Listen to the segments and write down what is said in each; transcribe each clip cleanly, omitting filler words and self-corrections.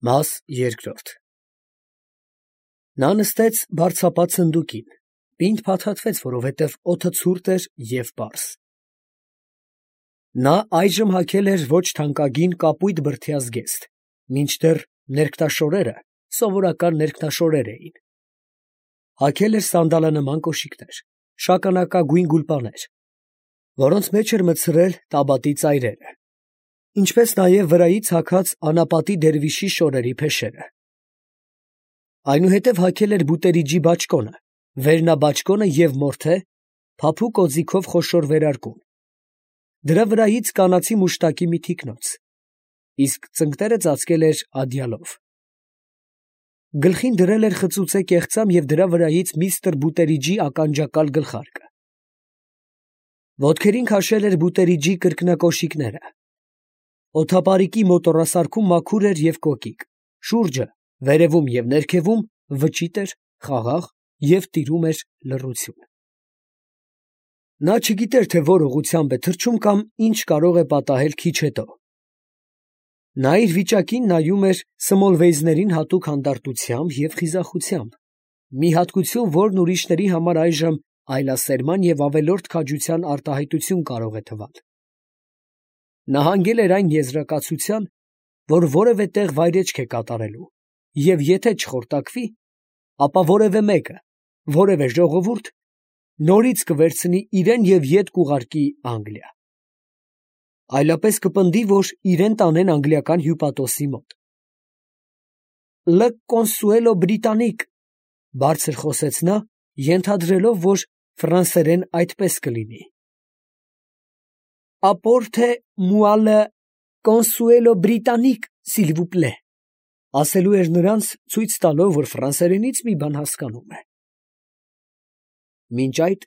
Մաս երկրորդ Նա նստեց բարձրապատ սնդուկին, պինդ փաթաթվեց, որովհետև օդը ցուրտ էր և պարզ. նա այժմ հագել էր ոչ թանկագին կապույտ բրդյա զգեստ, մինչդեռ ներքնաշորերը սովորական ներքնաշորեր էին. հագել էր սանդալանման կոշիկներ, շագանակագույն գուլպաներ, որոնց մեջ էր մտցրել տաբատի ծայրերը, ինչպես նաև վրայից հագած անապատի դերվիշի շորերի փեշերը. այնուհետև հագել էր բուտերիջի բաճկոնը, վերնաբաճկոնը և մորթե, փափուկ օձիքով խոշոր վերարկուն, դրա վրայից կանացի մուշտակի մի թիկնոց, իսկ ծնկները ծածկել էր ադյալով. գլխին դրել էր խծուծե կեղծամ և դրա վրայից միստր Բուտերիջի ականջակալ գլխարկը. ոտքերին քաշել էր Բուտերիջի կրկնակոշիկները. օդապարիկի մոտոռասարքում մաքուր էր և կոկիկ, շուրջը, վերևում և ներքևում վճիտ էր, խաղաղ և տիրում էր լռություն. նա չգիտեր, թե որ ուղղությամբ է թռչում կամ ինչ կարող է պատահել քիչ հետո. նա իր վիճակին նայում էր Սմոլվեյզներին հատուկ հանդարտությամբ և խիզախությամբ, մի հատկություն, որն ուրիշների համար այժմ այլասերման և ավելորդ քաջության արտահայտություն կարող է թվալ. նա հանգել էր այն եզրակացության, որ որևէ տեղ վայրէջք է կատարելու, և եթե չխորտակվի, ապա որևէ մեկը, որևէ ժողովուրդ նորից կվերցնի իրան և ետ կուղարկի Անգլիա. այլապես կպնդի, որ իրան տանեն անգլիական հյուպատոսի մոտ. «Լը կոնսուելո բրիտանիկ», բարձր խոսեց նա, ենթադրելով, որ ֆրանսերեն այդպես կլինի. «Ապորթե մուա լը կոնսուելո բրիտանիկ, սիլ վու պլե», ասելու էր նրանց, ցույց տալով, որ ֆրանսերենից մի բան հասկանում է. մինչ այդ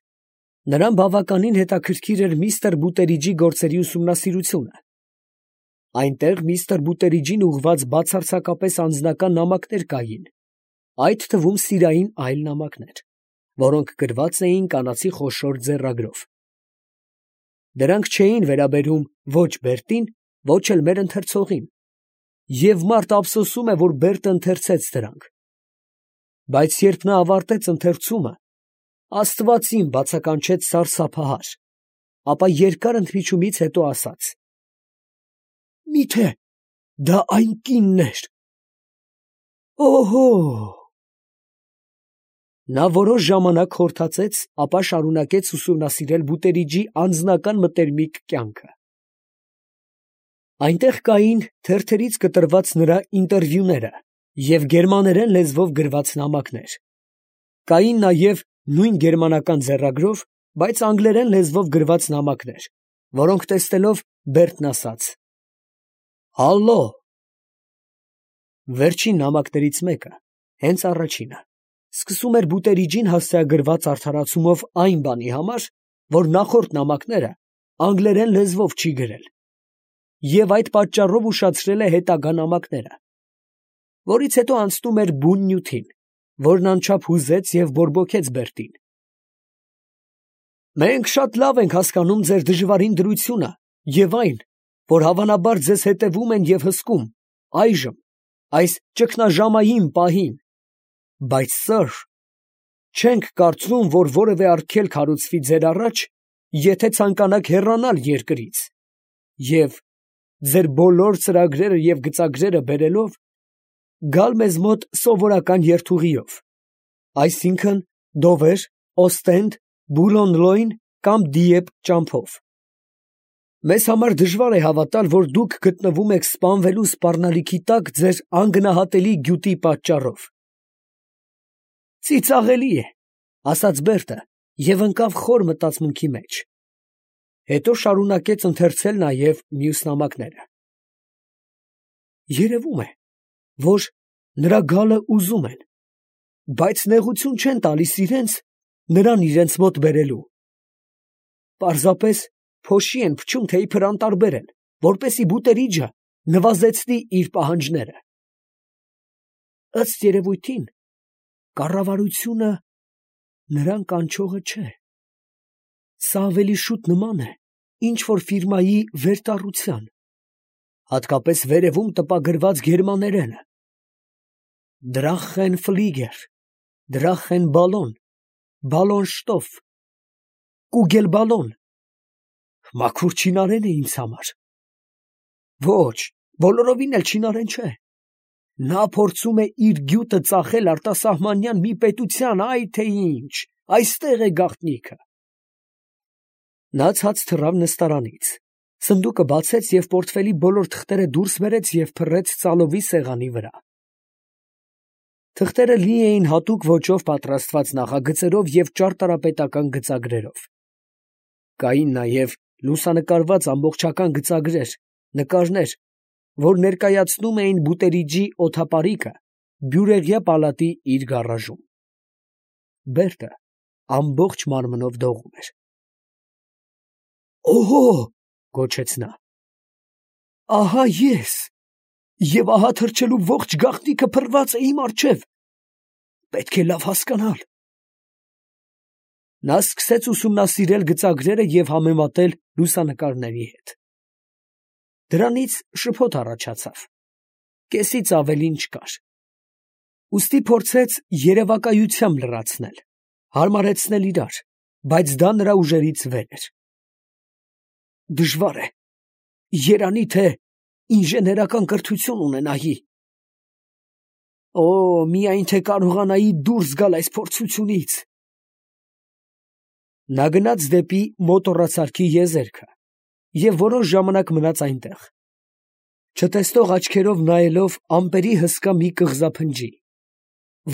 նրան բավականին հետաքրքիր էր միստր Բուտերիջի գործերի ուսումնասիրությունը. այնտեղ միստր Բուտերիջին ուղղված բացարձակապես անձնական նամակներ կային, այդ թվում սիրային այլ նամակներ, որոնք գրված էին կանացի խոշոր ձեռագրով. դրանք չէին վերաբերում ոչ Բերտին, ոչ էլ մեր ընթերցողին, և մարդ ափսոսում է, որ Բերտը ընթերցեց դրանք, բայց երբ նա ավարտեց ընթերցումը, Աստված իմ, բացականչեց սարսափահար, ապա երկար ընդմիջումից հետո ասաց. «Մի՞թե դա այն կինն էր, օհո՜»։ Նա որոշ ժամանակ խորթացեց, ապա շարունակեց ուսումնասիրել Բուտերիջի անձնական մտերմիկ կյանքը. այնտեղ կային թերթերից կտրված նրա ինտերվյուները և գերմաներեն լեզվով գրված նամակներ, կային նաև նույն գերմանական ձեռագրով, բայց անգլերեն լեզվով գրված նամակներ, որոնք տեսնելով Բերտն ասաց. «Հալլո»։ Վերջին նամակներից մեկը, հենց առաջինը, սկսում էր Բուտերիջին հասցեագրված արդարացումով այն բանի համար, որ նախորդ նամակները անգլերեն լեզվով չի գրել, և այդ պատճառով ուշացրել է հետագա նամակները, որից հետո անցնում էր բուն նյութին, որն անչափ հուզեց և բորբոքեց Բերտին. «Մենք շատ լավ ենք հասկանում ձեր դժվարին դրությունը և այն, որ հավանաբար ձեզ հետևում են և հսկում, այժմ, այս ճգնաժամային պահին, բայց, սըր, չենք կարծում, որ որևէ արգելք հարուցվի ձեր առաջ, եթե ցանկանաք հեռանալ երկրից և, ձեր բոլոր ծրագրերը և գծագրերը բերելով, գալ մեզ մոտ սովորական երթուղիով, այսինքն Դովեր, Օստենդ, Բուլոն֊Լոյն կամ Դիեպ ճամփով։ Մեզ համար դժվար է հավատալ, որ դուք գտնվում եք սպանվելու սպառնալիքի տակ ձեր անգնահատելի գյուտի պատճառով»։ «Ծիծաղելի է», ասաց Բերտը և ընկավ խոր մտածմունքի մեջ. հետո շարունակեց ընթերցել նաև մյուս նամակները. «Երևում է, որ նրա գալը ուզում են, բայց նեղություն չեն տալիս նրան իրենց մոտ բերելու. պարզապես փոշի են փչում, թե իբր անտարբեր են, որպեսզի Բուտերիջը նվազեցնի իր պահանջները։ Ըստ երևույթին, կառավարությունը նրան կանչողը չէ. սա ավելի շուտ նման է ինչ֊որ ֆիրմայի վերտառության, հատկապես վերևում տպագրված գերմաներենը, Drachenflieger, Drachenballon, Ballonstoff, Kugelballon։ Մաքուր չինարեն է ինձ համար։ Ոչ, բոլորովին էլ չինարեն չէ։ Նա փորձում է իր գյուտը ծախել արտասահմանյան մի պետության, այ թե ինչ, այստեղ է գաղտնիքը։ Նա ցած թռավ նստարանից, սնդուկը բացեց և պորտֆելի բոլոր թղթերը դուրս բերեց և փռեց ծալովի սեղանի վրա։ Թղթերը լի էին հատուկ ոճով պատրաստված նախագծերով և ճարտարապետական գծագրերով։ Կային նաև լուսանկարված ամբողջական գծագրեր, նկարներ, որ ներկայացնում էին Բուտերիջի օդապարիկը Բյուրեղյա պալատի իր գարաժում։ Բերտը ամբողջ մարմնով դողում էր։ «Օհո!» գոչեց նա։ «Ահա ես, և ահա թռչելու ողջ գաղտնիքը փռված է իմ առջև։ Պետք է լավ հասկանալ»։ Նա սկսեց ուսումնասիրել գծագրերը և համեմատել լուսանկարների հետ։ Դրանից շփոթ առաջացավ, կեսից ավելին չկար։ Ուստի փորձեց երևակայությամբ լրացնել, հարմարեցնել իրար, բայց դա նրա ուժերից վեր էր։ Դժվար է, երանի թե ինժեներական կրթություն ունենայի։ Օ, միայն թե կարողանայի դուրս գալ այս փորձությունից։ Նա գնաց դեպի մոտոռացարքի եզերքը և որոշ ժամանակ մնաց այնտեղ, չտեսնող աչքերով նայելով ամպերի հսկա մի կղզափնջի,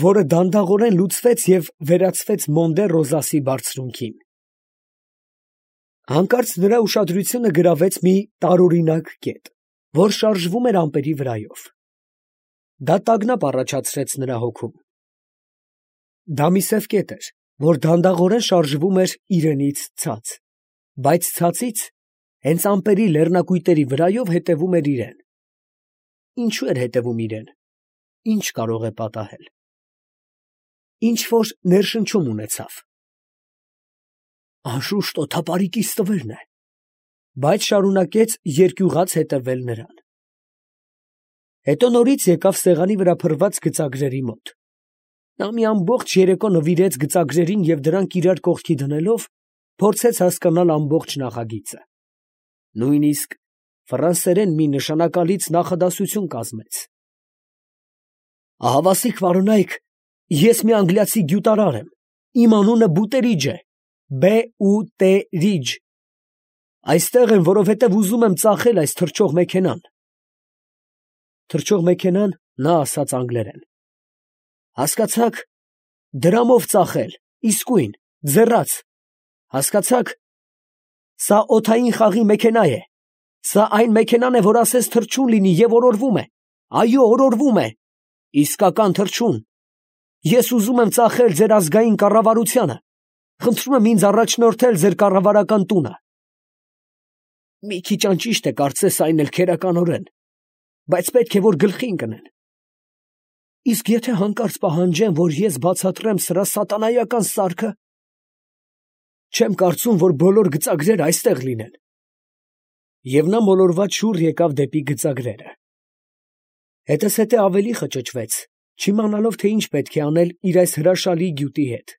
որը դանդաղորեն լուծվեց և վերածվեց Մոնդե֊Ռոզասի բարձրունքին։ Հանկարծ նրա ուշադրությունը գրավեց մի տարօրինակ կետ, որ շարժվում էր ամպերի վրայով։ Դա տագնապ առաջացրեց նրա հոգում։ Դա մի սև կետ էր, որ դանդաղորեն շարժվում էր իրենից ցած, բայց ցածից, հենց ամպերի լեռնակույտերի վրայով հետևում էր իրեն։ Ինչու էր հետևում իրեն, ինչ կարող է պատահել։ Ինչ֊որ ներշնչում ունեցավ։ Անշուշտ օդապարիկի ստվերն է, բայց շարունակեց երկյուղած հետևել նրան։ Հետո նորից եկավ սեղանի վրա փռված գծագրերի մոտ։ Նա մի ամբողջ երեկո նվիրեց գծագրերին և դրանք իրար կողքի դնելով, փորձեց հասկանալ ամբողջ նախագիծը։ Նույնիսկ ֆրանսերեն մի նշանակալից նախադասություն կազմեց։ Ահավասիկ վարոնայք, ես մի անգլիացի գյուտարար եմ, իմ անունը Բուտերիջ է, Բ-ու-տե-ռիջ։ Այստեղ եմ, որովհետև ուզում եմ ծախել այս թռչող մեքենան։ Թռչող մեքենան, նա ասաց անգլերեն։ Հասկացա՞ք, դրամով ծախել, իսկույն, ձեռաց, հասկացա՞ք, սա օդային խաղի մեքենա է, սա այն մեքենան է, որ ասես թռչուն լինի և օրորվում է, այո, օրորվում է, իսկական թռչուն։ Ես ուզում եմ ծախել ձեր ազգային կառավարությանը, խնդրում եմ ինձ առաջնորդել ձեր կառավարական տունը։ Մի քիչ անճիշտ է կարծես այն էլ քերականորեն, բայց պետք է, որ գլխի ընկնեն։ Իսկ եթե հանկարծ պահանջեն, որ ես բացատրեմ սրա սատանայական սարքը, չեմ կարծում, որ բոլոր գծագրերը այստեղ լինեն։ Եվ նա մոլորված շուռ եկավ դեպի գծագրերը։ Հետզհետե ավելի խճճվեց, չիմանալով, թե ինչ պետք է անել իր այս հրաշալի գյուտի հետ։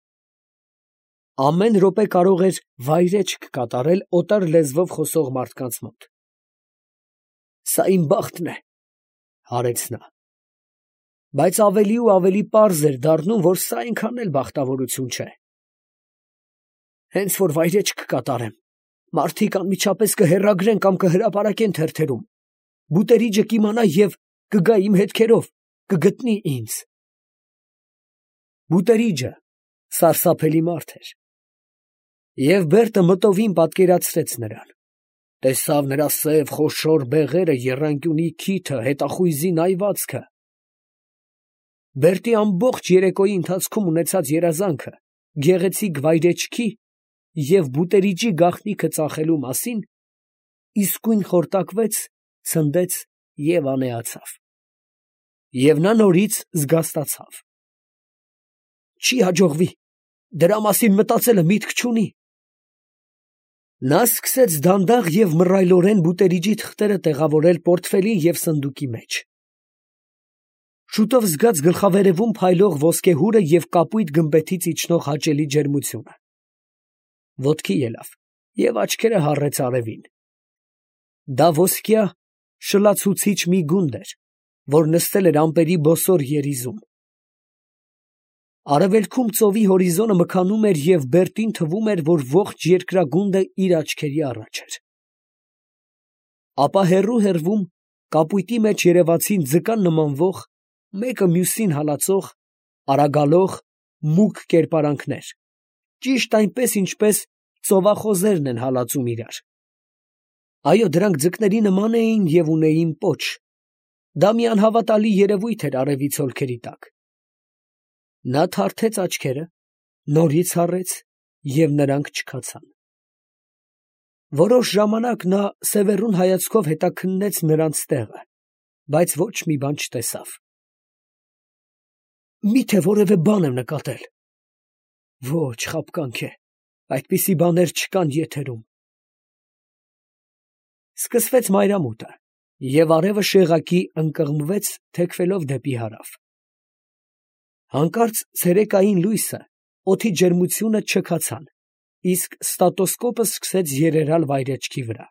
Ամեն րոպե կարող էր վայրէջք կատարել օտար լեզվով խոսող մարդկանց մոտ։ Սա իմ բախտն է, հարեց նա։ Բայց ավելի ու ավելի պարզ էր դառնում, որ սա այնքան էլ բախտավորություն չէ։ Հենց որ վայրէջք կկատարեմ, մարդիկ անմիջապես կհեռագրեն կամ կհրապարակեն թերթերում։ Բուտերիջը կիմանա և կգա իմ հետքերով, կգտնի ինձ։ Բուտերիջը սարսափելի մարդ էր։ Եվ Բերտը մտովին պատկերացրեց նրան։ Տեսավ նրա սև խոշոր բեղերը, եռանկյունի քիթը, հետախույզի նայվածքը։ Բերտի ամբողջ երեկոյի ընթացքում ունեցած երազանքը գեղեցիկ վայրեջքի և Բուտերիջի գաղտնիքը ծախելու մասին իսկույն խորտակվեց, ցնդեց և անեացավ։ Եվ նա նորից զգաստացավ։ Չի հաջողվի, դրա մասին մտածելը միտք չունի։ Նա սկսեց դանդաղ և մռայլորեն Բուտերիջի թղթերը տեղավորել պորտֆելի և սնդուկի մեջ։ Շուտով զգաց գլխավերևում փայլող ոսկեհուրը և կապույտ գմբեթից իջնող հաճելի ջերմությունը. ոտքի ելավ և աչքերը հառեց արևին. դա ոսկյա շլացուցիչ մի գունդ էր, որ նստել էր ամպերի բոսոր երիզում. արևելքում ծովի հորիզոնը մքանում էր և բերտին թվում էր, որ ողջ երկրագունդը իր աչքերի առաջ էր. ապա հեռու կապույտի մեջ երևացին ձկան նմանվող, մեկը մյուսին հալածող, արագալող, մուգ կերպարանքներ, ճիշտ այնպես, ինչպես ծովախոզերն են հալածում իրար. այո, դրանք ձկների նման էին և ունեին պոչ. դա մի անհավատալի երևույթ էր արևի ցոլքերի տակ. նա թարթեց աչքերը, նորից հառեց և նրանք չքացան. որոշ ժամանակ նա սևեռուն հայացքով հետաքննեց նրանց տեղը, բայց ոչ մի բան չտեսավ։ Մի՞թե որևէ բան եմ նկատել։ Ոչ, խաբկանք է, այդպիսի բաներ չկան եթերում։ Սկսվեց մայրամուտը, և արևը շեղակի ընկղմվեց, թեքվելով դեպի հարավ։ Հանկարծ ցերեկային լույսը, օդի ջերմությունը չքացան, իսկ ստատոսկոպը սկսեց երերալ վայրէջքի վրա։